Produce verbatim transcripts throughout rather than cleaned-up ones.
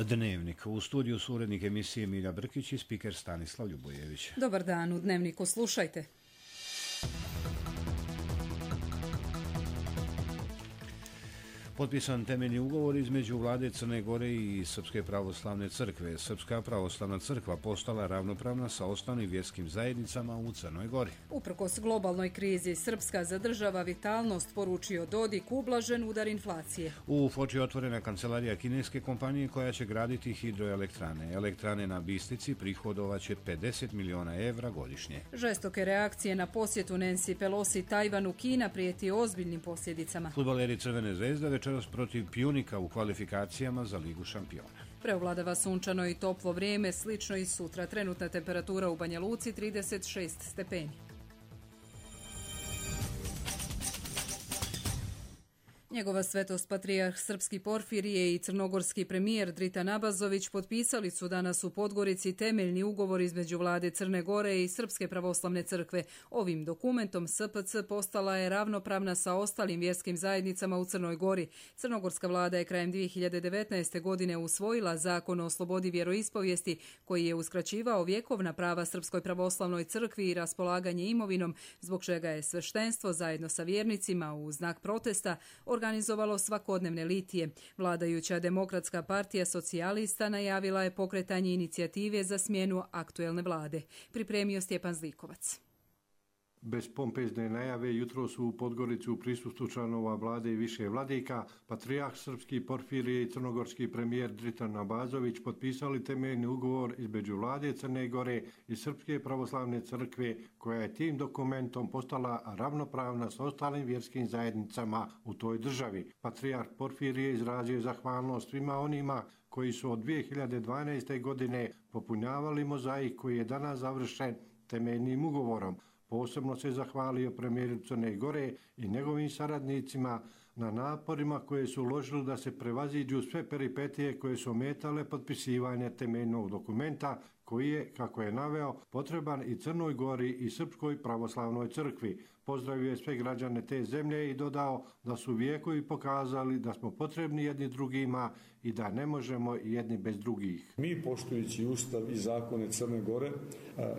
Dnevnik. U studiju su urednik emisije Milja Brkić i spiker Stanislav Ljubojević. Dobar dan, u Dnevniku slušajte. Potpisan temeljni ugovor između vlade Crne Gore i Srpske pravoslavne crkve. Srpska pravoslavna crkva postala ravnopravna sa ostalim vjerskim zajednicama u Crnoj Gori. Uprkos globalnoj krizi, Srpska zadržava vitalnost, poručio Dodik, ublažen udar inflacije. U Foči otvorena kancelarija kineske kompanije koja će graditi hidroelektrane. Elektrane na Bistrici prihodovaće pedeset miliona evra godišnje. Žestoke reakcije na posjetu Nancy Pelosi Tajvanu, Kina prijeti ozbiljnim posljedicama. Fudbaleri Crvene zvezde večeras protiv Pjunika u kvalifikacijama za Ligu šampiona. Preovladava sunčano i toplo vrijeme, slično i sutra. Trenutna temperatura u Banja Luci trideset šest stepeni. Njegova svetost patrijarh Srpski Porfirije i crnogorski premijer Dritan Abazović potpisali su danas u Podgorici temeljni ugovor između vlade Crne Gore i Srpske pravoslavne crkve. Ovim dokumentom S P C postala je ravnopravna sa ostalim vjerskim zajednicama u Crnoj Gori. Crnogorska vlada je krajem dvije hiljade devetnaeste. godine usvojila zakon o slobodi vjeroispovijesti koji je uskraćivao vjekovna prava Srpskoj pravoslavnoj crkvi i raspolaganje imovinom, zbog čega je sveštenstvo zajedno sa vjernicima u znak protesta organizovalo svakodnevne litije. Vladajuća Demokratska partija socijalista najavila je pokretanje inicijative za smjenu aktuelne vlade. Pripremio Stjepan Zlikovac. Bez pompezne najave jutro su u Podgorici u prisustvu članova vlade i više vladika, patrijarh Srpski Porfirije i crnogorski premijer Dritan Abazović potpisali temeljni ugovor između vlade Crne Gore i Srpske pravoslavne crkve, koja je tim dokumentom postala ravnopravna s ostalim vjerskim zajednicama u toj državi. Patrijarh Porfirije izrazio zahvalnost svima onima koji su od dvije hiljade dvanaeste. godine popunjavali mozaik koji je danas završen temeljnim ugovorom. Posebno se zahvalio premijeru Crne Gore i njegovim saradnicima na naporima koje su uložili da se prevaziđu sve peripetije koje su ometale potpisivanje temeljnog dokumenta koji je, kako je naveo, potreban i Crnoj Gori i Srpskoj pravoslavnoj crkvi. Pozdravio je sve građane te zemlje i dodao da su vijekovi pokazali da smo potrebni jedni drugima i da ne možemo jedni bez drugih. Mi, poštujući Ustav i zakone Crne Gore,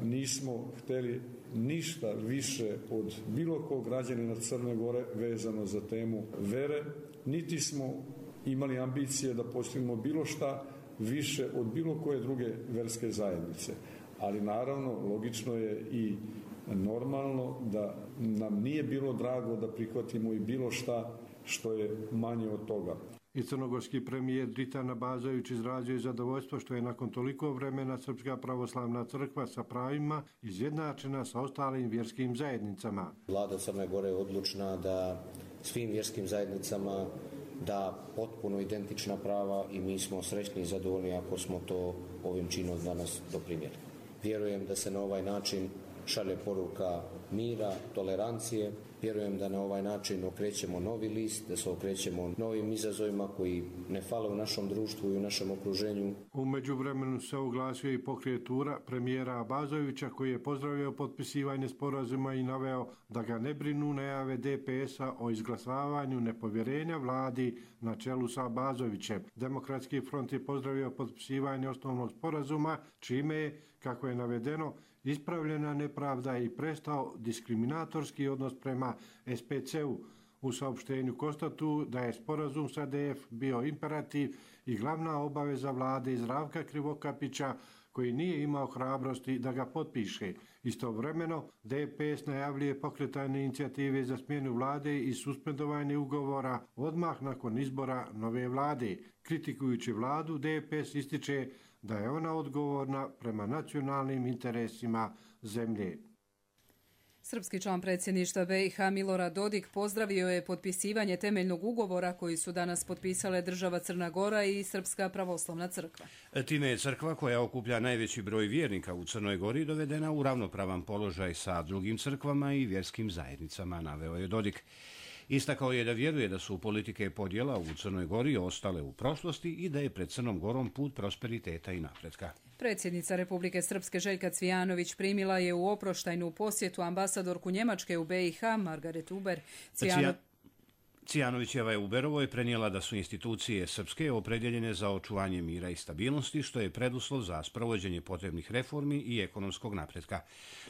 nismo htjeli ništa više od bilo kog građanina Crne Gore vezano za temu vere, niti smo imali ambicije da postignemo bilo šta više od bilo koje druge verske zajednice. Ali naravno, logično je i normalno da nam nije bilo drago da prihvatimo i bilo šta što je manje od toga. I crnogorski premijer Dritan Abazović izrazio zadovoljstvo što je nakon toliko vremena Srpska pravoslavna crkva sa pravima izjednačena sa ostalim vjerskim zajednicama. Vlada Crne Gore je odlučna da svim vjerskim zajednicama da potpuno identična prava i mi smo srećni i zadovoljni ako smo to ovim činom danas doprinijeli. Vjerujem da se na ovaj način šalje poruka mira, tolerancije. Vjerujem da na ovaj način okrećemo novi list, da se okrećemo novim izazovima koji ne fale u našem društvu i u našem okruženju. U međuvremenu se oglasio i pokret Tura premijera Abazovića, koji je pozdravio potpisivanje sporazuma i naveo da ga ne brinu najave D P S-a o izglasavanju nepovjerenja vladi na čelu sa Abazovićem. Demokratski front je pozdravio potpisivanje osnovnog sporazuma, čime je, kako je navedeno, ispravljena nepravda i prestao diskriminatorski odnos prema S P C-u. U saopštenju konstatuju da je sporazum sa D F bio imperativ i glavna obaveza vlade Zdravka Krivokapića, koji nije imao hrabrosti da ga potpiše. Istovremeno, D P S najavljuje pokretanje inicijative za smjenu vlade i suspendovanje ugovora odmah nakon izbora nove vlade. Kritikujući vladu, D P S ističe da je ona odgovorna prema nacionalnim interesima zemlje. Srpski član predsjedništva B i H Milorad Dodik pozdravio je potpisivanje temeljnog ugovora koji su danas potpisale država Crna Gora i Srpska pravoslavna crkva. Time je crkva, koja okuplja najveći broj vjernika u Crnoj Gori, dovedena u ravnopravan položaj sa drugim crkvama i vjerskim zajednicama, naveo je Dodik. Istakao je da vjeruje da su politike podjela u Crnoj Gori ostale u prošlosti i da je pred Crnom Gorom put prosperiteta i napretka. Predsjednica Republike Srpske Željka Cvijanović primila je u oproštajnu posjetu ambasadorku Njemačke u B i H Margaret Huber. Cvijano... Cijanovićeva je u Berovoj prenijela da su institucije srpske opredjeljene za očuvanje mira i stabilnosti, što je preduslov za sprovođenje potrebnih reformi i ekonomskog napretka.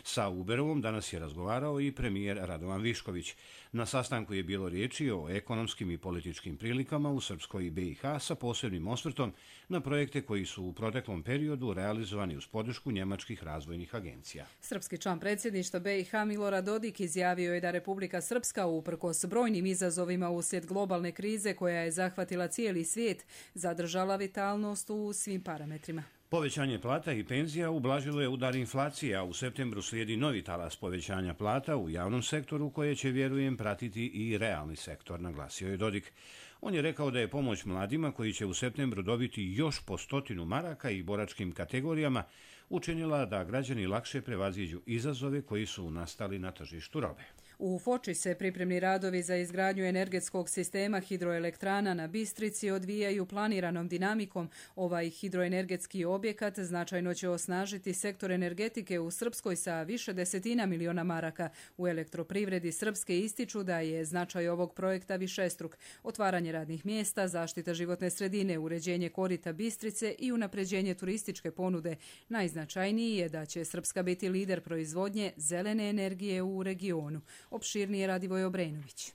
Sa Uberovom danas je razgovarao i premijer Radovan Višković. Na sastanku je bilo riječi o ekonomskim i političkim prilikama u Srpskoj i B i H sa posebnim osvrtom na projekte koji su u proteklom periodu realizovani uz podršku njemačkih razvojnih agencija. Srpski član predsjedništva B i H Milorad Dodik izjavio je da Republika Srpska uprkos brojnim izazovima uslijed globalne krize koja je zahvatila cijeli svijet zadržala vitalnost u svim parametrima. Povećanje plata i penzija ublažilo je udar inflacije, a u septembru slijedi novi talas povećanja plata u javnom sektoru koje će, vjerujem, pratiti i realni sektor, naglasio je Dodik. On je rekao da je pomoć mladima koji će u septembru dobiti još po stotinu maraka i boračkim kategorijama učinila da građani lakše prevaziđu izazove koji su nastali na tržištu robe. U Foči se pripremni radovi za izgradnju energetskog sistema hidroelektrana na Bistrici odvijaju planiranom dinamikom. Ovaj hidroenergetski objekat značajno će osnažiti sektor energetike u Srpskoj sa više desetina miliona maraka. U elektroprivredi Srpske ističu da je značaj ovog projekta višestruk. Otvaranje radnih mjesta, zaštita životne sredine, uređenje korita Bistrice i unapređenje turističke ponude. Najznačajniji je da će Srpska biti lider proizvodnje zelene energije u regionu. Opširnije Radivoj Obrenović.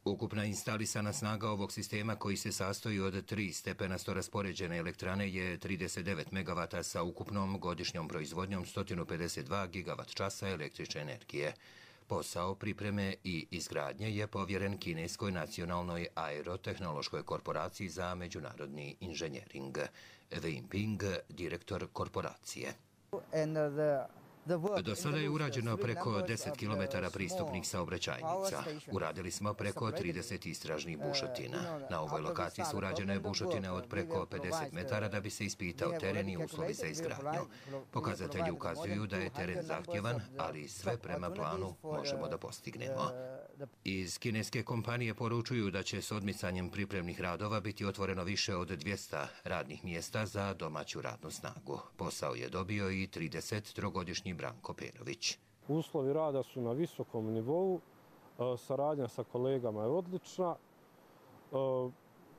Ukupna instalisana snaga ovog sistema, koji se sastoji od tri stepenasto raspoređene elektrane, je trideset devet megavata sa ukupnom godišnjom proizvodnjom sto pedeset dva gigavat časa električne energije. Posao pripreme i izgradnje je povjeren kineskoj nacionalnoj aerotehnološkoj korporaciji za međunarodni inženjering. Wei Yingping, direktor korporacije. Do sada je urađeno preko deset kilometara pristupnih saobraćajnica. Uradili smo preko trideset istražnih bušotina. Na ovoj lokaciji su urađene bušotine od preko pedeset metara da bi se ispitao teren i uslovi za izgradnju. Pokazatelji ukazuju da je teren zahtjevan, ali sve prema planu možemo da postignemo. Iz kineske kompanije poručuju da će s odmicanjem pripremnih radova biti otvoreno više od dvjesto radnih mjesta za domaću radnu snagu. Posao je dobio i trideset trogodišnji Branko Perović. Uslovi rada su na visokom nivou, saradnja sa kolegama je odlična,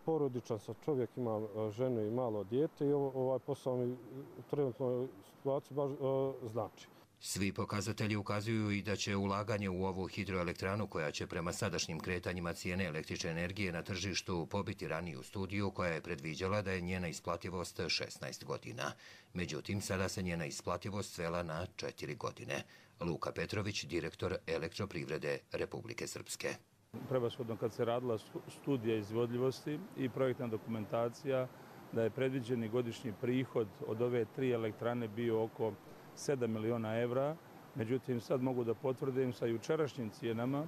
porodičan sam čovjek, imam ženu i malo dijete i ovaj posao mi u trenutnoj situaciji baš znači. Svi pokazatelji ukazuju i da će ulaganje u ovu hidroelektranu, koja će prema sadašnjim kretanjima cijene električne energije na tržištu pobiti raniju studiju koja je predviđala da je njena isplativost šesnaest godina. Međutim, sada se njena isplativost svela na četiri godine. Luka Petrović, direktor elektroprivrede Republike Srpske. Prevashodno kad se radila studija izvodljivosti i projektna dokumentacija, da je predviđeni godišnji prihod od ove tri elektrane bio oko sedam miliona evra, međutim sad mogu da potvrdim sa jučerašnjim cijenama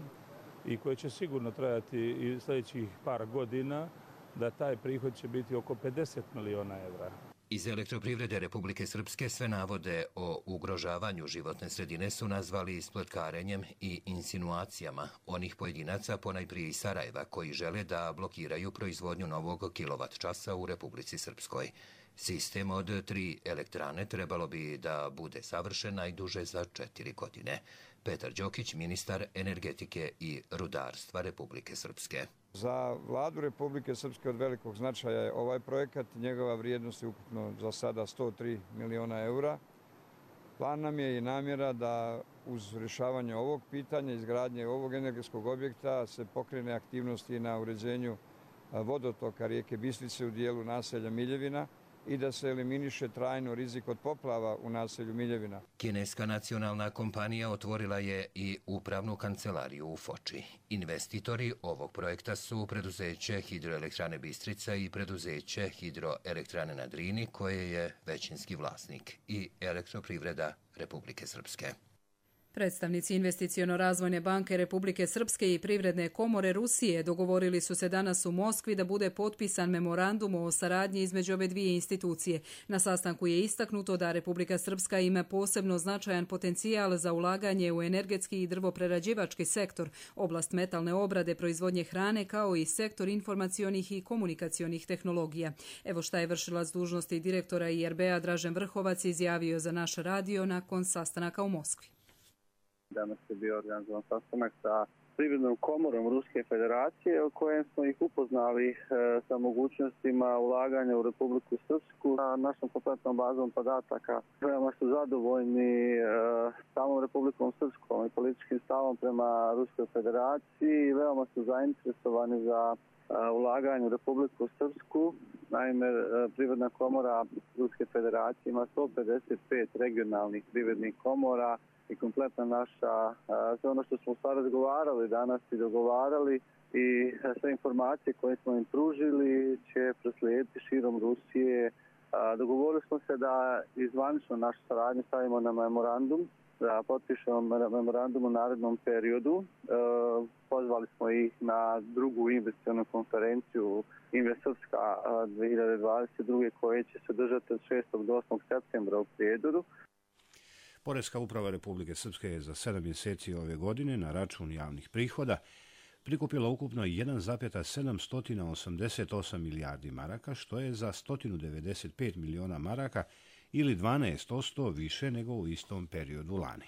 i koje će sigurno trajati i sljedećih par godina, da taj prihod će biti oko pedeset miliona evra. Iz elektroprivrede Republike Srpske sve navode o ugrožavanju životne sredine su nazvali spletkarenjem i insinuacijama onih pojedinaca, ponajprije iz Sarajeva, koji žele da blokiraju proizvodnju novog kilovat časa u Republici Srpskoj. Sistem od tri elektrane trebalo bi da bude savršen najduže za četiri godine. Petar Đokić, ministar energetike i rudarstva Republike Srpske. Za vladu Republike Srpske od velikog značaja je ovaj projekat. Njegova vrijednost je ukupno za sada sto tri miliona eura. Plan nam je i namjera da uz rješavanje ovog pitanja, izgradnje ovog energetskog objekta, se pokrene aktivnosti na uređenju vodotoka rijeke Bistrice u dijelu naselja Miljevina i da se eliminiše trajno rizik od poplava u naselju Miljevina. Kineska nacionalna kompanija otvorila je i upravnu kancelariju u Foči. Investitori ovog projekta su preduzeće Hidroelektrane Bistrica i preduzeće Hidroelektrane na Drini, koje je većinski vlasnik, i Elektroprivreda Republike Srpske. Predstavnici Investiciono-razvojne banke Republike Srpske i Privredne komore Rusije dogovorili su se danas u Moskvi da bude potpisan memorandum o saradnji između ove dvije institucije. Na sastanku je istaknuto da Republika Srpska ima posebno značajan potencijal za ulaganje u energetski i drvoprerađivački sektor, oblast metalne obrade, proizvodnje hrane, kao i sektor informacionih i komunikacionih tehnologija. Evo šta je vršilac dužnosti direktora I R B-a Dražen Vrhovac izjavio za naš radio nakon sastanaka u Moskvi. Danas je bio organizovan sastanak sa privrednom komorom Ruske federacije, u kojem smo ih upoznali sa mogućnostima ulaganja u Republiku Srpsku na našom kompletnom bazom podataka. Veoma su zadovoljni samom Republikom Srpskom i političkim stavom prema Ruskoj federaciji i veoma su zainteresovani za ulaganje u Republiku Srpsku. Naime, Privredna komora Ruske federacije ima sto pedeset pet regionalnih privrednih komora i kompletna naša, sve ono što smo sad razgovarali danas i dogovarali i sve informacije koje smo im pružili će proslijediti širom Rusije. Dogovorili smo se da izvanično našu saradnju stavimo na memorandum, da potpišemo memorandum u narednom periodu. Pozvali smo ih na drugu investicionu konferenciju Invest Srpska dvije hiljade dvadeset druge koje će se držati od šestog do osmog septembra u Prijedoru. Poreska uprava Republike Srpske je za sedam mjeseci ove godine na račun javnih prihoda prikupila ukupno jedan zarez sedamsto osamdeset osam milijardi maraka, što je za sto devedeset pet miliona maraka ili dvanaest posto više nego u istom periodu lani.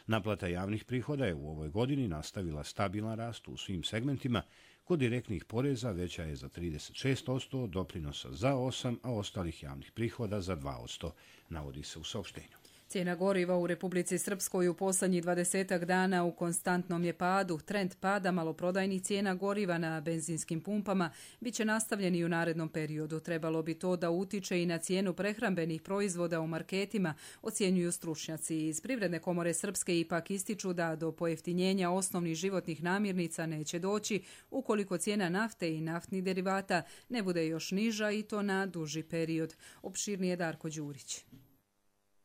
Naplata javnih prihoda je u ovoj godini nastavila stabilan rast u svim segmentima. Kod direktnih poreza veća je za trideset šest posto, doprinosa za osam posto, a ostalih javnih prihoda za dva posto, navodi se u saopštenju. Cijena goriva u Republici Srpskoj u posljednjih dvadesetak dana u konstantnom je padu. Trend pada maloprodajnih cijena goriva na benzinskim pumpama bit će nastavljen i u narednom periodu. Trebalo bi to da utiče i na cijenu prehrambenih proizvoda u marketima, ocjenjuju stručnjaci. Iz Privredne komore Srpske ipak ističu da do pojeftinjenja osnovnih životnih namirnica neće doći ukoliko cijena nafte i naftnih derivata ne bude još niža i to na duži period. Opširnije Darko Đurić.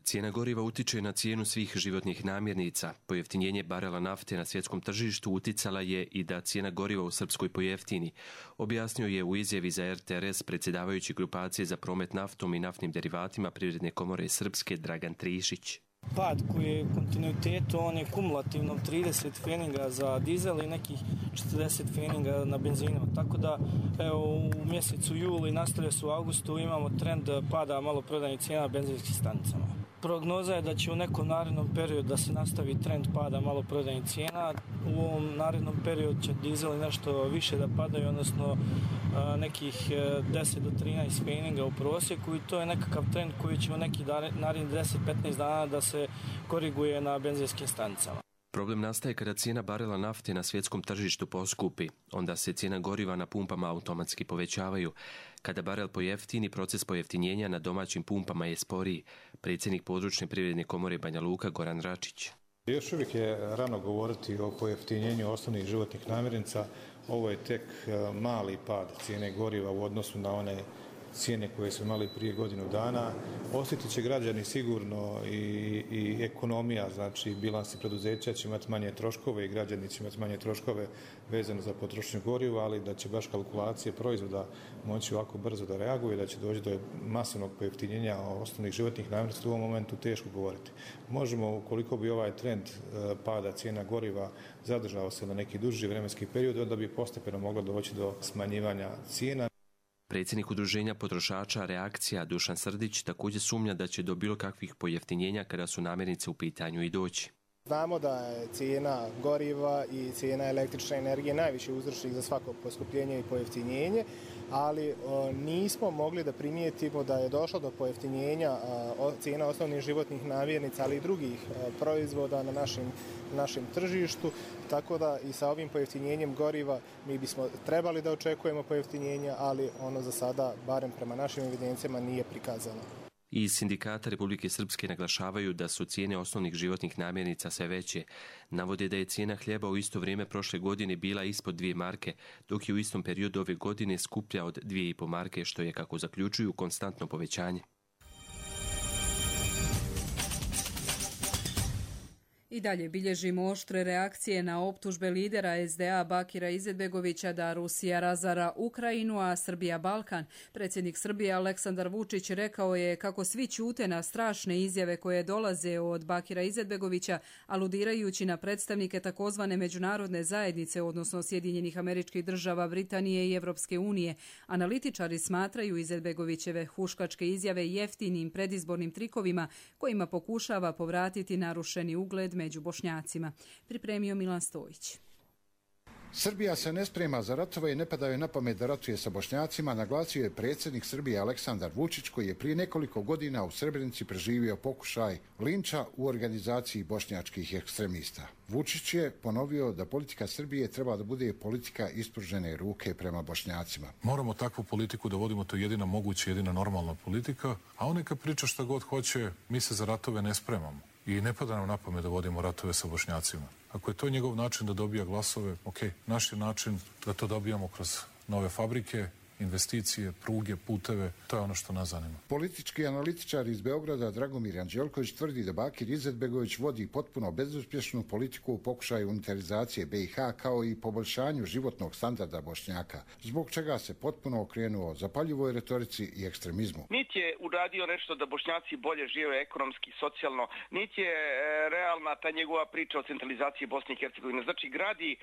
Cijena goriva utiče na cijenu svih životnih namirnica. Pojeftinjenje barela nafte na svjetskom tržištu uticala je i da cijena goriva u Srpskoj pojeftini, objasnio je u izjavi za R T R S predsjedavajući grupacije za promet naftom i naftnim derivatima Privredne komore Srpske Dragan Trišić. Pad koji je u kontinuitetu, on je kumulativno trideset feninga za dizel i nekih četrdeset feninga na benzinama. Tako da evo, u mjesecu juli nastavlja se u augustu, imamo trend pada maloprodajnih cijena na benzinskim stanicama. Prognoza je da će u nekom narednom periodu da se nastavi trend pada maloprodajnih cijena. U ovom narednom periodu će dizeli nešto više da padaju, odnosno nekih deset do trinaest feninga u prosjeku i to je nekakav trend koji će u nekih narednih deset do petnaest dana da se koriguje na benzinskim stanicama. Problem nastaje kada cijena barela nafte na svjetskom tržištu poskupi. Onda se cijena goriva na pumpama automatski povećavaju. Kada barel pojeftini, proces pojeftinjenja na domaćim pumpama je sporiji. Predsjednik područne Privredne komore Banja Luka Goran Račić. Još uvijek je rano govoriti o pojeftinjenju osnovnih životnih namirnica. Ovo je tek mali pad cijene goriva u odnosu na one cijene koje su imali prije godinu dana. Osjetit će građani sigurno i, i ekonomija, znači bilansi preduzeća će imati manje troškove i građani će imati manje troškove vezano za potrošnju goriva, ali da će baš kalkulacije proizvoda moći ovako brzo da reaguje, da će doći do masovnog pojeftinjenja osnovnih životnih namirnica, u ovom momentu teško govoriti. Možemo, ukoliko bi ovaj trend pada cijena goriva zadržao se na neki duži vremenski period, onda bi postepeno moglo doći do smanjivanja cijena. Predsjednik udruženja potrošača Reakcija Dušan Srdić također sumnja da će do bilo kakvih pojeftinjenja kada su namirnice u pitanju i doći. Znamo da je cijena goriva i cijena električne energije najviši uzročnik za svako poskupljenje i pojeftinjenje, ali o, nismo mogli da primijetimo da je došlo do pojeftinjenja a, cijena osnovnih životnih namirnica, ali i drugih a, proizvoda na našim, našem tržištu, tako da i sa ovim pojeftinjenjem goriva mi bismo trebali da očekujemo pojeftinjenja, ali ono za sada, barem prema našim evidencijama, nije prikazano. Iz Sindikata Republike Srpske naglašavaju da su cijene osnovnih životnih namirnica sve veće. Navode da je cijena hljeba u isto vrijeme prošle godine bila ispod dvije marke, dok je u istom periodu ove godine skuplja od dvije i po marke, što je, kako zaključuju, konstantno povećanje. I dalje bilježimo oštre reakcije na optužbe lidera S D A Bakira Izetbegovića da Rusija razara Ukrajinu, a Srbija Balkan. Predsjednik Srbije Aleksandar Vučić rekao je kako svi ćute na strašne izjave koje dolaze od Bakira Izetbegovića, aludirajući na predstavnike takozvane međunarodne zajednice, odnosno Sjedinjenih Američkih Država, Britanije i Evropske unije. Analitičari smatraju Izetbegovićeve huškačke izjave jeftinim predizbornim trikovima kojima pokušava povratiti narušeni ugled među Bošnjacima. Pripremio Milan Stojić. Srbija se ne sprema za ratove i ne padaju na pamet da ratuje sa Bošnjacima, naglasio je predsjednik Srbije Aleksandar Vučić, koji je prije nekoliko godina u Srebrenici preživio pokušaj linča u organizaciji bošnjačkih ekstremista. Vučić je ponovio da politika Srbije treba da bude politika ispružene ruke prema Bošnjacima. Moramo takvu politiku da vodimo, to je jedina moguća, jedina normalna politika, a on neka priča šta god hoće, mi se za ratove ne spremamo. I ne pada nam na pamet da vodimo ratove sa Bošnjacima. Ako je to njegov način da dobija glasove, ok, naš je način da to dobijamo kroz nove fabrike, investicije, pruge, puteve, to je ono što nas zanima. Politički analitičar iz Beograda Dragomir Anđelković tvrdi da Bakir Izetbegović vodi potpuno bezuspješnu politiku u pokušaju unitarizacije B i H kao i poboljšanju životnog standarda Bošnjaka, zbog čega se potpuno okrenuo zapaljivoj retorici i ekstremizmu. Niti je uradio nešto da Bošnjaci bolje žive ekonomski, socijalno, niti je e, realna ta njegova priča o centralizaciji Bosne i Hercegovine. Znači gradi e,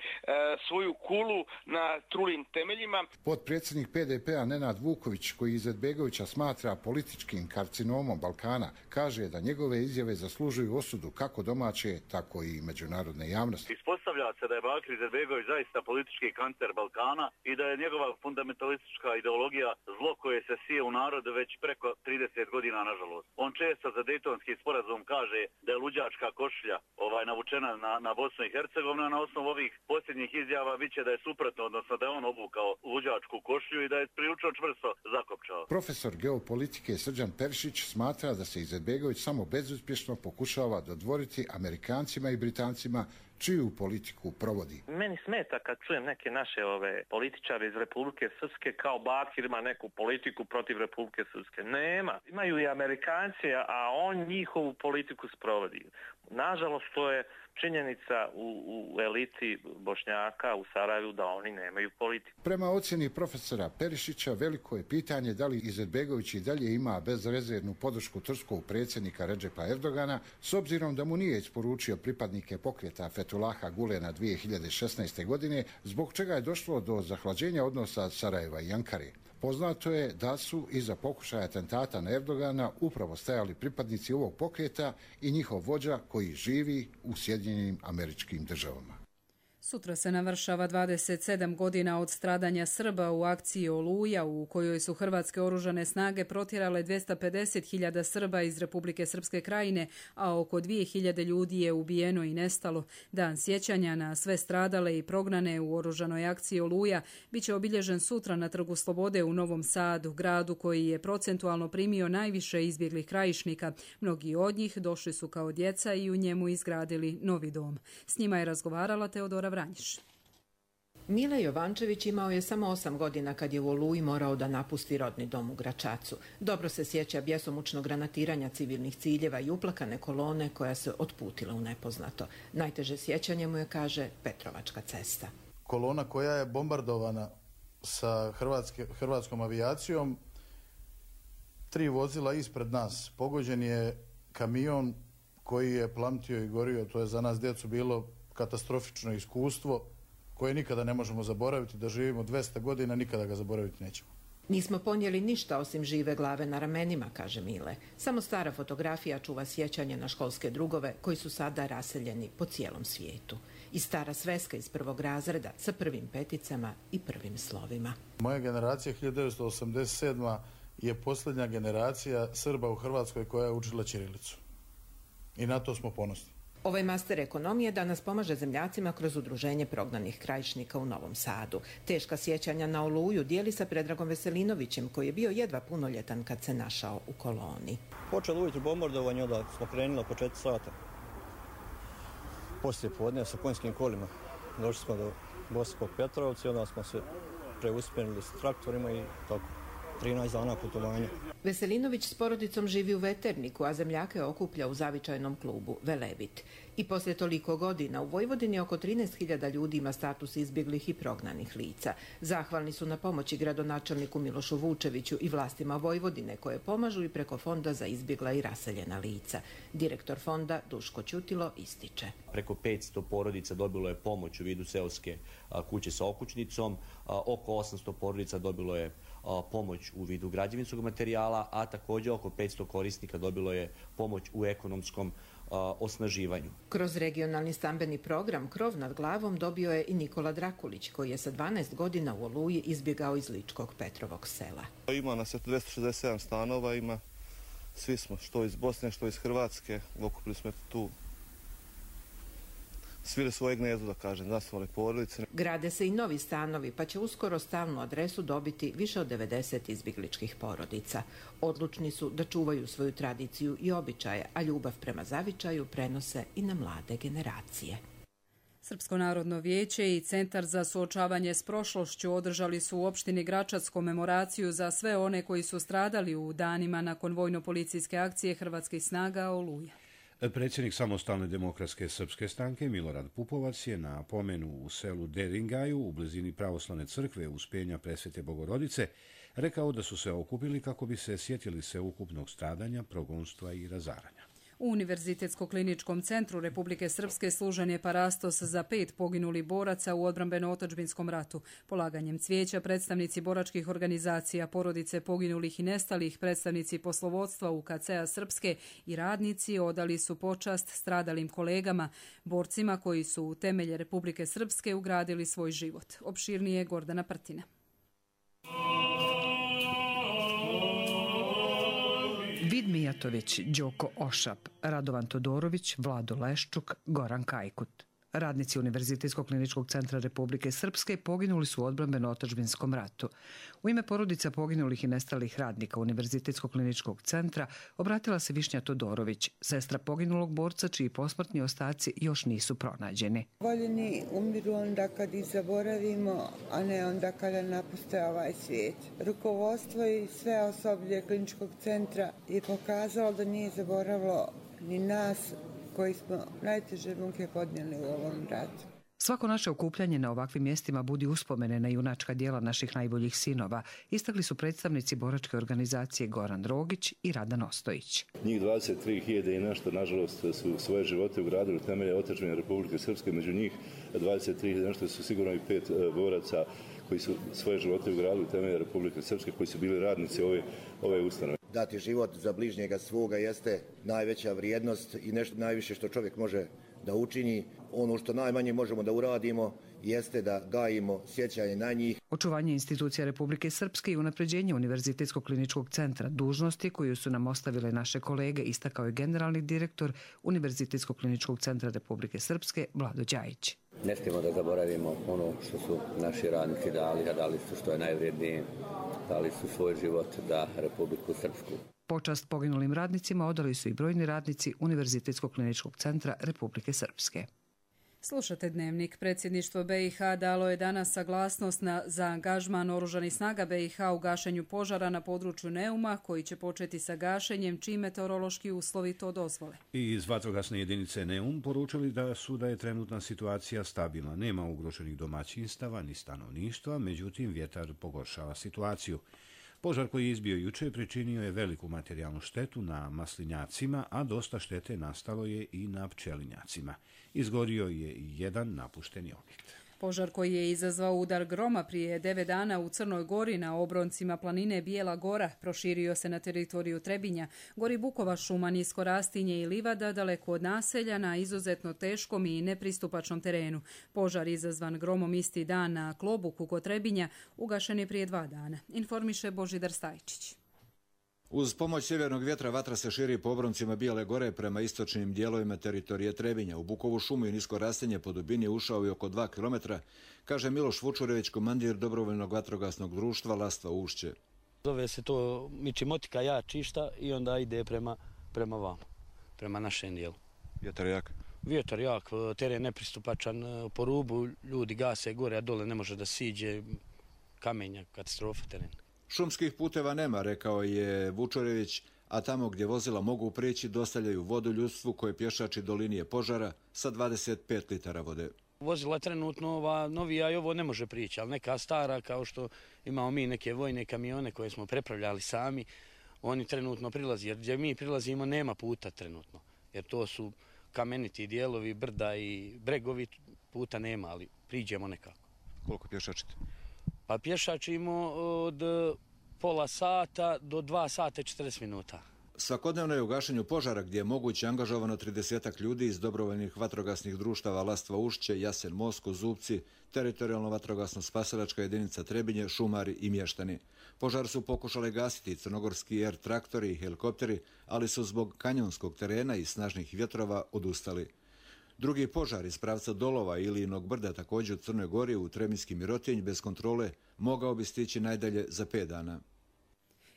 svoju kulu na trulim temeljima. Potpredsjednik P D P-a Nenad Vuković, koji Izetbegovića smatra političkim karcinomom Balkana, kaže da njegove izjave zaslužuju osudu kako domaće, tako i međunarodne javnosti. Ispostavlja se da je Bakir Izetbegović zaista politički kancer Balkana i da je njegova fundamentalistička ideologija zlo koje se sije u narodu već preko trideset godina, nažalost. On često za Dejtonski sporazum kaže da je luđačka košulja ovaj, navučena na, na Bosnu i Hercegovinu, a na osnovu ovih posljednjih izjava biće da je suprotno, odnosno da je on obukao luđačku košulju i da je prilično čvrsto zakopčao. Profesor geopolitike Srđan Perišić smatra da se Izetbegović samo bezuspješno pokušava dodvoriti Amerikancima i Britancima čiju politiku provodi. Meni smeta kad čujem neke naše ove političare iz Republike Srpske kao Bakir ima neku politiku protiv Republike Srpske. Nema. Imaju i Amerikanci, a on njihovu politiku sprovodi. Nažalost, to je činjenica u, u eliti Bošnjaka u Sarajevu da oni nemaju politiku. Prema ocjeni profesora Perišića, veliko je pitanje da li Izetbegović i dalje ima bezrezervnu podršku turskog predsjednika Redžepa Erdogana, s obzirom da mu nije isporučio pripadnike pokreta Fethullaha Gulena dvije hiljade šesnaeste. godine, zbog čega je došlo do zahlađenja odnosa Sarajeva i Ankare. Poznato je da su iza pokušaja atentata na Erdogana upravo stajali pripadnici ovog pokreta i njihov vođa koji živi u Sjedinjenim Američkim Državama. Sutra se navršava dvadeset sedam godina od stradanja Srba u akciji Oluja, u kojoj su hrvatske oružane snage protjerale dvjesto pedeset hiljada Srba iz Republike Srpske Krajine, a oko dvije hiljade ljudi je ubijeno i nestalo. Dan sjećanja na sve stradale i prognane u oružanoj akciji Oluja biće obilježen sutra na Trgu Slobode u Novom Sadu, gradu koji je procentualno primio najviše izbjeglih krajišnika. Mnogi od njih došli su kao djeca i u njemu izgradili novi dom. S njima je razgovarala Teodora Vranjiš. Mile Jovančević imao je samo osam godina kad je u Oluji morao da napusti rodni dom u Gračacu. Dobro se sjeća bjesomučnog granatiranja civilnih ciljeva i uplakane kolone koja se otputila u nepoznato. Najteže sjećanje mu je, kaže, Petrovačka cesta. Kolona koja je bombardovana sa hrvatske, hrvatskom avijacijom, tri vozila ispred nas. Pogođen je kamion koji je plamtio i gorio. To je za nas djecu bilo katastrofično iskustvo koje nikada ne možemo zaboraviti, da živimo dvjesto godina, nikada ga zaboraviti nećemo. Nismo ponijeli ništa osim žive glave na ramenima, kaže Mile. Samo stara fotografija čuva sjećanje na školske drugove koji su sada raseljeni po cijelom svijetu. I stara sveska iz prvog razreda sa prvim peticama i prvim slovima. Moja generacija hiljadu devetsto osamdeset sedma. je posljednja generacija Srba u Hrvatskoj koja je učila ćirilicu. I na to smo ponosni. Ovaj master ekonomije danas pomaže zemljacima kroz udruženje prognanih krajišnika u Novom Sadu. Teška sjećanja na Oluju dijeli sa Predragom Veselinovićem, koji je bio jedva punoljetan kad se našao u koloni. Počelo ujutro bombardovanje, onda smo krenuli oko četiri sata. Poslije podne sa konjskim kolima. Došli smo do Bosanskog Petrovca, onda smo se preusmjerili s traktorima i tako. trinaest dana putovanja. Veselinović s porodicom živi u Veterniku, a zemljake okuplja u zavičajnom klubu Velebit. I poslije toliko godina u Vojvodini oko trinaest hiljada ljudi ima status izbjeglih i prognanih lica. Zahvalni su na pomoći gradonačelniku Milošu Vučeviću i vlastima Vojvodine, koje pomažu i preko Fonda za izbjegla i raseljena lica. Direktor fonda Duško Ćutilo ističe. Preko petsto porodica dobilo je pomoć u vidu seoske kuće sa okućnicom, oko osamsto porodica dobilo je pomoć u vidu građevinskog materijala, a također oko petsto korisnika dobilo je pomoć u ekonomskom osnaživanju. Kroz regionalni stambeni program Krov nad glavom dobio je i Nikola Drakulić, koji je sa dvanaest godina u Oluji izbjegao iz Ličkog Petrovog sela. Ima nas dvjesto šezdeset sedam stanova, ima, svi smo, što iz Bosne, što iz Hrvatske, okupili smo tu svili svoje gnezdo, da kažem, zasnovali porodice. Grade se i novi stanovi, pa će uskoro stalnu adresu dobiti više od devedeset izbjegličkih porodica. Odlučni su da čuvaju svoju tradiciju i običaje, a ljubav prema zavičaju prenose i na mlade generacije. Srpsko narodno vijeće i Centar za suočavanje s prošlošću održali su u opštini Gračac komemoraciju za sve one koji su stradali u danima nakon vojno-policijske akcije Hrvatskih snaga Oluja. Predsjednik Samostalne demokratske srpske stranke Milorad Pupovac je na pomenu u selu Deringaju u blizini pravoslavne crkve Uspenja Presvete Bogorodice rekao da su se okupili kako bi se sjetili sveukupnog stradanja, progonstva i razaranja. U Univerzitetsko-kliničkom centru Republike Srpske služen je parastos za pet poginulih boraca u odbrambeno-otadžbinskom ratu. Polaganjem cvijeća predstavnici boračkih organizacija, porodice poginulih i nestalih, predstavnici poslovodstva U K C-a Srpske i radnici odali su počast stradalim kolegama, borcima koji su u temelje Republike Srpske ugradili svoj život. Opširnije Gordana Prtina. Vid Mijatović, Đoko Ošap, Radovan Todorović, Vlado Leščuk, Goran Kajkut. Radnici Univerzitetskog kliničkog centra Republike Srpske poginuli su u odbrambeno-otadžbinskom ratu. U ime porodica poginulih i nestalih radnika Univerzitetskog kliničkog centra obratila se Višnja Todorović, sestra poginulog borca čiji posmrtni ostaci još nisu pronađeni. Voljeni umiru onda kad ih zaboravimo, a ne onda kada napuste ovaj svijet. Rukovodstvo i sve osoblje kliničkog centra je pokazalo da nije zaboravilo ni nas koji smo najteže muke podnijeli u ovom ratu. Svako naše okupljanje na ovakvim mjestima budi uspomene na junačka djela naših najboljih sinova, istakli su predstavnici boračke organizacije Goran Drogić i Radan Ostojić. Njih dvadeset tri hiljade i nešto, nažalost, su svoje živote ugradili u temelje otadžbine Republike Srpske. Među njih dvadeset tri hiljade nešto su sigurno i pet boraca koji su svoje živote ugradili u temelje Republike Srpske, koji su bili radnici ove, ove ustanove. Dati život za bližnjega svoga jeste najveća vrijednost i nešto najviše što čovjek može da učini. Ono što najmanje možemo da uradimo jeste da gajimo sjećanje na njih. Očuvanje institucija Republike Srpske i unapređenje Univerzitetskog kliničkog centra, dužnosti koju su nam ostavile naše kolege, istakao je generalni direktor Univerzitetskog kliničkog centra Republike Srpske Vlado Đajić. Ne smijemo da zaboravimo ono što su naši radnici dali, a dali su što je najvrijednije, dali su svoj život za Republiku Srpsku. Počast poginulim radnicima odali su i brojni radnici Univerzitetskog kliničkog centra Republike Srpske. Slušate Dnevnik. Predsjedništvo B i H dalo je danas saglasnost na, za angažman oružanih snaga B i H u gašenju požara na području Neuma, koji će početi sa gašenjem čim meteorološki uslovi to dozvole. I iz vatrogasne jedinice Neum poručili da su da je trenutna situacija stabilna. Nema ugroženih domaćinstava ni stanovništva, međutim vjetar pogoršava situaciju. Požar koji je izbio juče pričinio je veliku materijalnu štetu na maslinjacima, a dosta štete nastalo je i na pčelinjacima. Izgorio je i jedan napušteni objekt. Požar koji je izazvao udar groma prije devet dana u Crnoj Gori na obroncima planine Bijela Gora proširio se na teritoriju Trebinja, gori Bukova šuma, nisko rastinje i livada daleko od naselja na izuzetno teškom i nepristupačnom terenu. Požar izazvan gromom isti dan na Klobuku kod Trebinja ugašen je prije dva dana, informiše Božidar Stajčić. Uz pomoć sjevernog vjetra vatra se širi po obroncima Bijele Gore prema istočnim dijelovima teritorije Trebinja. U Bukovu šumu i nisko rastinje po dubini ušao je oko dva kilometra, kaže Miloš Vučurević, komandir dobrovoljnog vatrogasnog društva Lastva Ušće. Zove se to Mičimotika ja čišta i onda ide prema, prema vama, prema našem dijelu. Vjetar jak? Vjetar jak, teren nepristupačan, po rubu ljudi gase gore, a dole ne može da siđe, kamenja, katastrofa teren. Šumskih puteva nema, rekao je Vučurević, a tamo gdje vozila mogu prijeći dostavljaju vodu ljudstvu koje pješači do linije požara sa dvadeset pet litara vode. Vozila trenutno ova novija i ovo ne može prići, ali neka stara, kao što imamo mi neke vojne kamione koje smo prepravljali sami, oni trenutno prilazi, jer gdje mi prilazimo nema puta trenutno, jer to su kameniti dijelovi, brda i bregovi, puta nema, ali priđemo nekako. Koliko pješačite? Pa pješačimo od pola sata do dva sata i četrdeset minuta. Svakodnevno je u gašenju požara gdje je moguće angažovano tridesetak ljudi iz dobrovoljnih vatrogasnih društava Lastva Ušće, Jasen Mosko, Zubci, teritorijalno vatrogasno spasilačka jedinica Trebinje, šumari i mještani. Požar su pokušali gasiti crnogorski er traktori i helikopteri, ali su zbog kanjonskog terena i snažnih vjetrova odustali. Drugi požar iz pravca Dolova i Ilijinog brda također u Crnoj Gori u Trebinjski Mirotinj bez kontrole mogao bi stići najdalje za pet dana.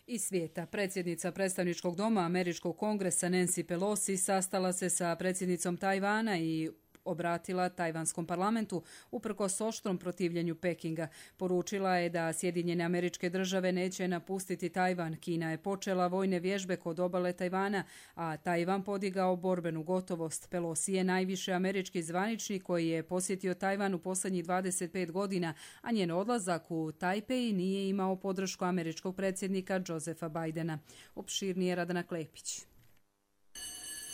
Iz svijeta, predsjednica predstavničkog doma Američkog kongresa Nancy Pelosi sastala se sa predsjednicom Tajvana i obratila tajvanskom parlamentu uprkos oštrom protivljenju Pekinga. Poručila je da Sjedinjene Američke Države neće napustiti Tajvan. Kina je počela vojne vježbe kod obale Tajvana, a Tajvan podigao borbenu gotovost. Pelosi je najviše američki zvaničnik koji je posjetio Tajvan u posljednjih dvadeset pet godina, a njen odlazak u Tajpej nije imao podršku američkog predsjednika Josepha Bidena. Opširnije Radana Klepić.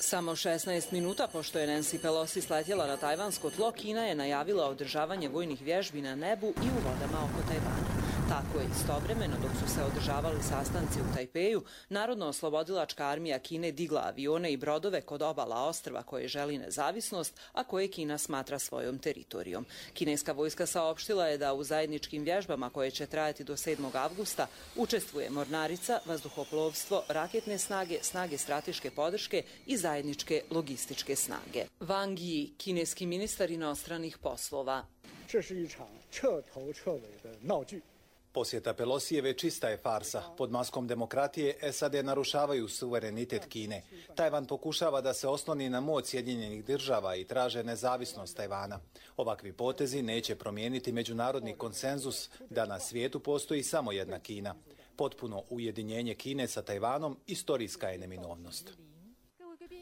Samo šesnaest minuta pošto je Nancy Pelosi sletjela na tajvansko tlo, Kina je najavila održavanje vojnih vježbi na nebu i u vodama oko Tajvana. Tako je istovremeno, dok su se održavali sastanci u Tajpeju, Narodno-oslobodilačka armija Kine digla avione i brodove kod obala ostrva koje želi nezavisnost, a koje Kina smatra svojom teritorijom. Kineska vojska saopštila je da u zajedničkim vježbama koje će trajati do sedmog avgusta učestvuje mornarica, vazduhoplovstvo, raketne snage, snage strateške podrške i zajedničke logističke snage. Wang Yi, kineski ministar inostranih poslova. Posjeta Pelosijeve čista je farsa. Pod maskom demokratije es a de narušavaju suverenitet Kine. Tajvan pokušava da se osloni na moć Sjedinjenih država i traže nezavisnost Tajvana. Ovakvi potezi neće promijeniti međunarodni konsenzus da na svijetu postoji samo jedna Kina. Potpuno ujedinjenje Kine sa Tajvanom istorijska je neminovnost.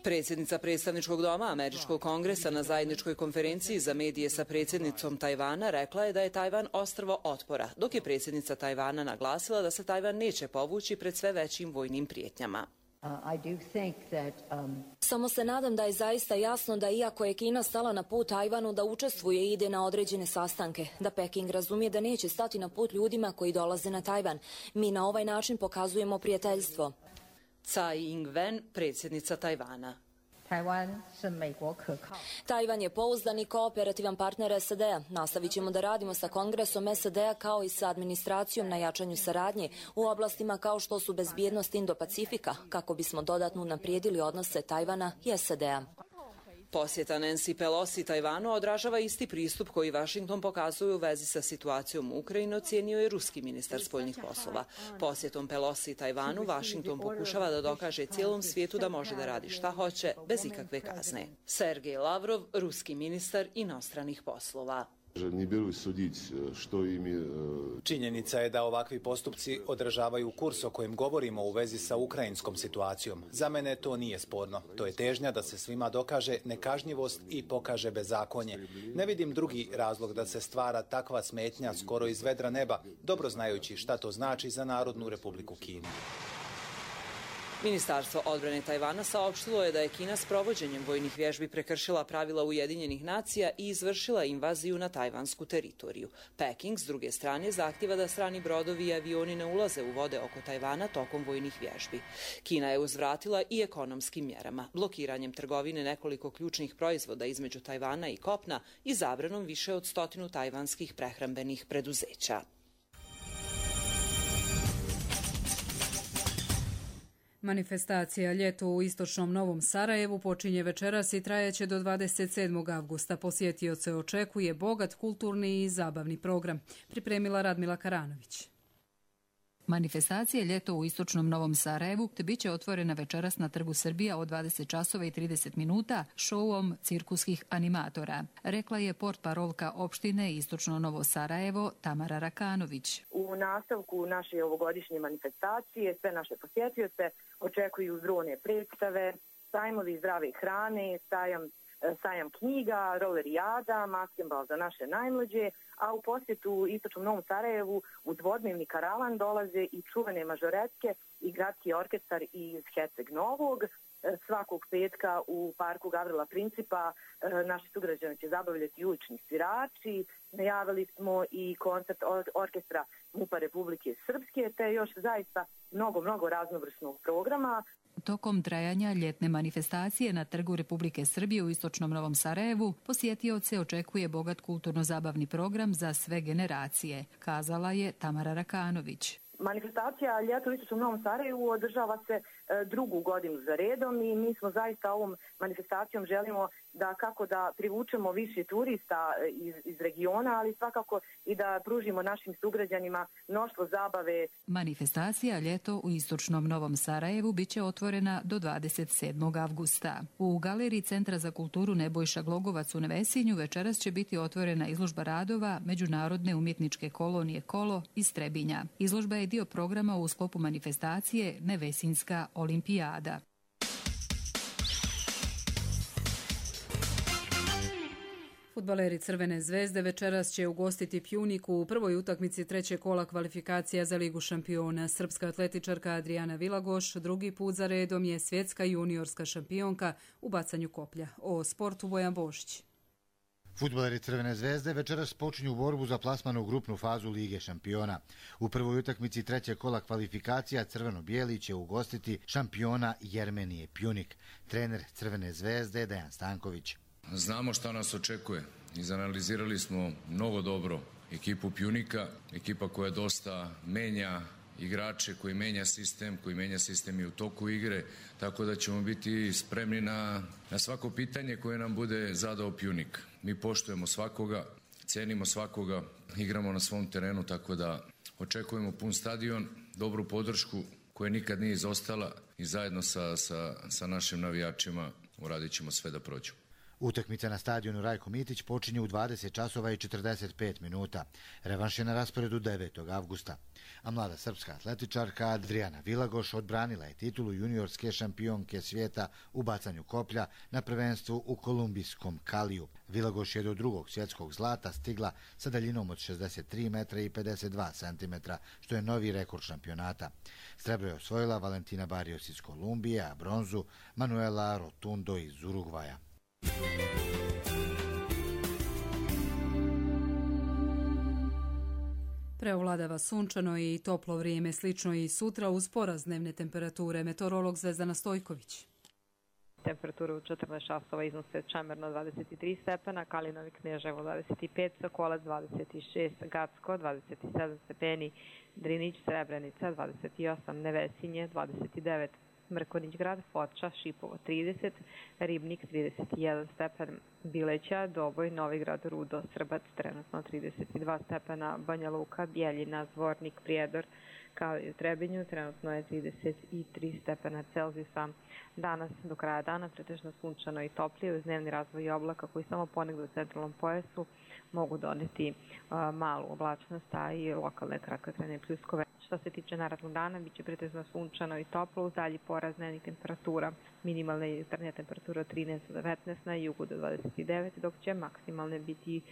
Predsjednica predstavničkog doma Američkog kongresa na zajedničkoj konferenciji za medije sa predsjednicom Tajvana rekla je da je Tajvan ostrvo otpora, dok je predsjednica Tajvana naglasila da se Tajvan neće povući pred sve većim vojnim prijetnjama. Samo se nadam da je zaista jasno da iako je Kina stala na put Tajvanu da učestvuje i ide na određene sastanke, da Peking razumije da neće stati na put ljudima koji dolaze na Tajvan. Mi na ovaj način pokazujemo prijateljstvo. Tsai Ing-wen, predsjednica Tajvana. Tajvan je pouzdan i kooperativan partner es a de-a. Nastavit ćemo da radimo sa Kongresom es a de-a kao i sa administracijom na jačanju saradnje u oblastima kao što su bezbjednost Indo-Pacifika, kako bismo dodatno unaprijedili odnose Tajvana i es a de-a. Posjeta Nancy Pelosi Tajvanu odražava isti pristup koji Vašington pokazuje u vezi sa situacijom u Ukrajini, ocijenio je ruski ministar spoljnih poslova. Posjetom Pelosi Tajvanu Vašington pokušava da dokaže cijelom svijetu da može da radi šta hoće bez ikakve kazne. Sergej Lavrov, ruski ministar inostranih poslova. Činjenica je da ovakvi postupci odražavaju kurs o kojem govorimo u vezi sa ukrajinskom situacijom. Za mene to nije sporno. To je težnja da se svima dokaže nekažnjivost i pokaže bezakonje. Ne vidim drugi razlog da se stvara takva smetnja skoro iz vedra neba, dobro znajući šta to znači za Narodnu Republiku Kinu. Ministarstvo odbrane Tajvana saopštilo je da je Kina s provođenjem vojnih vježbi prekršila pravila Ujedinjenih nacija i izvršila invaziju na tajvansku teritoriju. Peking, s druge strane, zahtjeva da strani brodovi i avioni ne ulaze u vode oko Tajvana tokom vojnih vježbi. Kina je uzvratila i ekonomskim mjerama, blokiranjem trgovine nekoliko ključnih proizvoda između Tajvana i kopna i zabranom više od stotinu tajvanskih prehrambenih preduzeća. Manifestacija Ljeto u istočnom Novom Sarajevu počinje večeras i trajaće do dvadeset sedmog avgusta. Posjetioce očekuje bogat kulturni i zabavni program. Pripremila Radmila Karanović. Manifestacija Ljeto u istočnom Novom Sarajevu te bit će otvorena večeras na Trgu Srbija od dvadeset časova i trideset minuta šouom cirkuskih animatora, rekla je portparolka opštine Istočno Novo Sarajevo Tamara Rakanović. U nastavku naše ovogodišnje manifestacije sve naše posjetioce očekuju brojne predstave, sajmovi zdrave hrane, sajam sajam knjiga, rolerijada, maskembal za naše najmlađe, a u posjetu Istočnom Novom Sarajevu u dvodnevni karavan dolaze i čuvene mažoretke i gradski orkestar iz Herceg Novog, svakog petka u parku Gavrila Principa naši sugrađani će zabavljati ulični svirači. Najavili smo i koncert orkestra MUP-a Republike Srpske, te još zaista mnogo, mnogo raznovrsnog programa. Tokom trajanja ljetne manifestacije na Trgu Republike Srbije u istočnom Novom Sarajevu posjetioce očekuje bogat kulturno-zabavni program za sve generacije, kazala je Tamara Rakanović. Manifestacija Ljeto u istočnom Novom Sarajevu održava se drugu godinu za redom i mi smo zaista ovom manifestacijom želimo da kako da privučemo više turista iz, iz regiona, ali svakako i da pružimo našim sugrađanima mnoštvo zabave. Manifestacija Ljeto u istočnom Novom Sarajevu biće otvorena do dvadeset sedmog avgusta. U galeriji Centra za kulturu Nebojša Glogovac u Nevesinju večeras će biti otvorena izložba radova Međunarodne umjetničke kolonije Kolo iz Trebinja. Izložba je dio programa u sklopu manifestacije Nevesinjska olimpijada. Fudbaleri Crvene zvezde večeras će ugostiti Pjuniku u prvoj utakmici trećeg kola kvalifikacija za Ligu šampiona. Srpska atletičarka Adriana Vilagoš drugi put za redom je svjetska juniorska šampionka u bacanju koplja. O sportu Bojan Božić. Fudbaleri Crvene zvezde večeras počinju borbu za plasman u grupnu fazu Lige šampiona. U prvoj utakmici trećeg kola kvalifikacija crveno-bijeli će ugostiti šampiona Jermenije Pjunik. Trener Crvene zvezde Dejan Stanković. Znamo šta nas očekuje. Izanalizirali smo mnogo dobro ekipu Pjunika, ekipa koja dosta menja igrače, koji menja sistem, koji menja sistem i u toku igre, tako da ćemo biti spremni na, na svako pitanje koje nam bude zadao Pjunik. Mi poštujemo svakoga, cenimo svakoga, igramo na svom terenu, tako da očekujemo pun stadion, dobru podršku koja nikad nije izostala i zajedno sa, sa, sa našim navijačima uradit ćemo sve da prođu. Utakmica na stadionu Rajko Mitić počinje u dvadeset časova i četrdeset pet minuta. Revanš je na rasporedu devetog avgusta. A mlada srpska atletičarka Adriana Vilagoš odbranila je titulu juniorske šampionke svijeta u bacanju koplja na prvenstvu u kolumbijskom Kaliju. Vilagoš je do drugog svjetskog zlata stigla sa daljinom od šezdeset tri metra i pedeset dva centimetra, što je novi rekord šampionata. Srebro je osvojila Valentina Barrios iz Kolumbije, a bronzu Manuela Rotundo iz Urugvaja. Preovladava sunčano i toplo vrijeme, slično i sutra uz porast dnevne temperature. Meteorolog Zvezdana Stojković. Temperature u četrnaest časova iznose Čemerno dvadeset tri stepena, Kalinovi Kneževo dvadeset pet, Sokolac dvadeset šest, Gacko dvadeset sedam stepeni, Drinić Srebrenica dvadeset osam, Nevesinje dvadeset devet, Mrkonić grad, Foča, Šipovo trideset, Ribnik trideset jedan stepen, Bileća, Doboj, Novigrad, Rudo, Srbac trenutno trideset dva stepena, Banja Luka, Bjeljina, Zvornik, Prijedor, kao i u Trebinju, trenutno je trideset tri stepena Celzijusa. Danas do kraja dana pretežno sunčano i toplije uz dnevni razvoj oblaka koji samo ponegdje u centralnom pojasu mogu doneti uh, malu oblačnost, a i lokalne kratkotrajne pljuskove. Što se tiče narednog dana, bit će pretežno sunčano i toplo uz dalji porast dnevnih temperatura. Minimalna i jutarnja temperatura od trinaest do devetnaest, na jugu do dvadeset devet, dok će maksimalne biti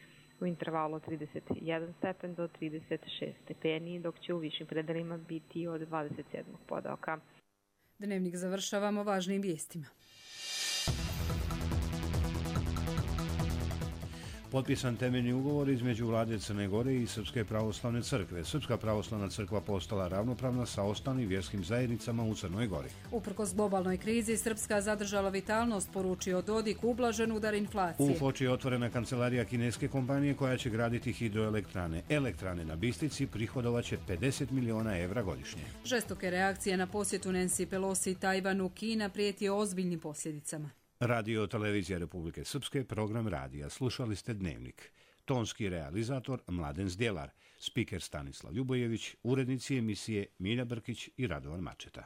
u intervalu od trideset jedan stepen do trideset šest stepeni, dok će u višim predelima biti od dvadeset sedam podoka. Dnevnik završavamo važnim vijestima. Potpisan temeljni ugovor između vlade Crne Gore i Srpske pravoslavne crkve. Srpska pravoslavna crkva postala ravnopravna sa ostalim vjerskim zajednicama u Crnoj Gori. Uprkos globalnoj krizi, Srpska zadržala vitalnost, poručio Dodik, ublažen udar inflacije. U Foči je otvorena kancelarija kineske kompanije koja će graditi hidroelektrane. Elektrane na Bistrici prihodovaće pedeset miliona evra godišnje. Žestoke reakcije na posjetu Nancy Pelosi Tajvanu, Kina prijeti ozbiljnim posljedicama. Radio Televizija Republike Srpske, program radija. Slušali ste Dnevnik. Tonski realizator Mladen Zdjelar, spiker Stanislav Ljubojević, urednici emisije Milja Brkić i Radovan Mačeta.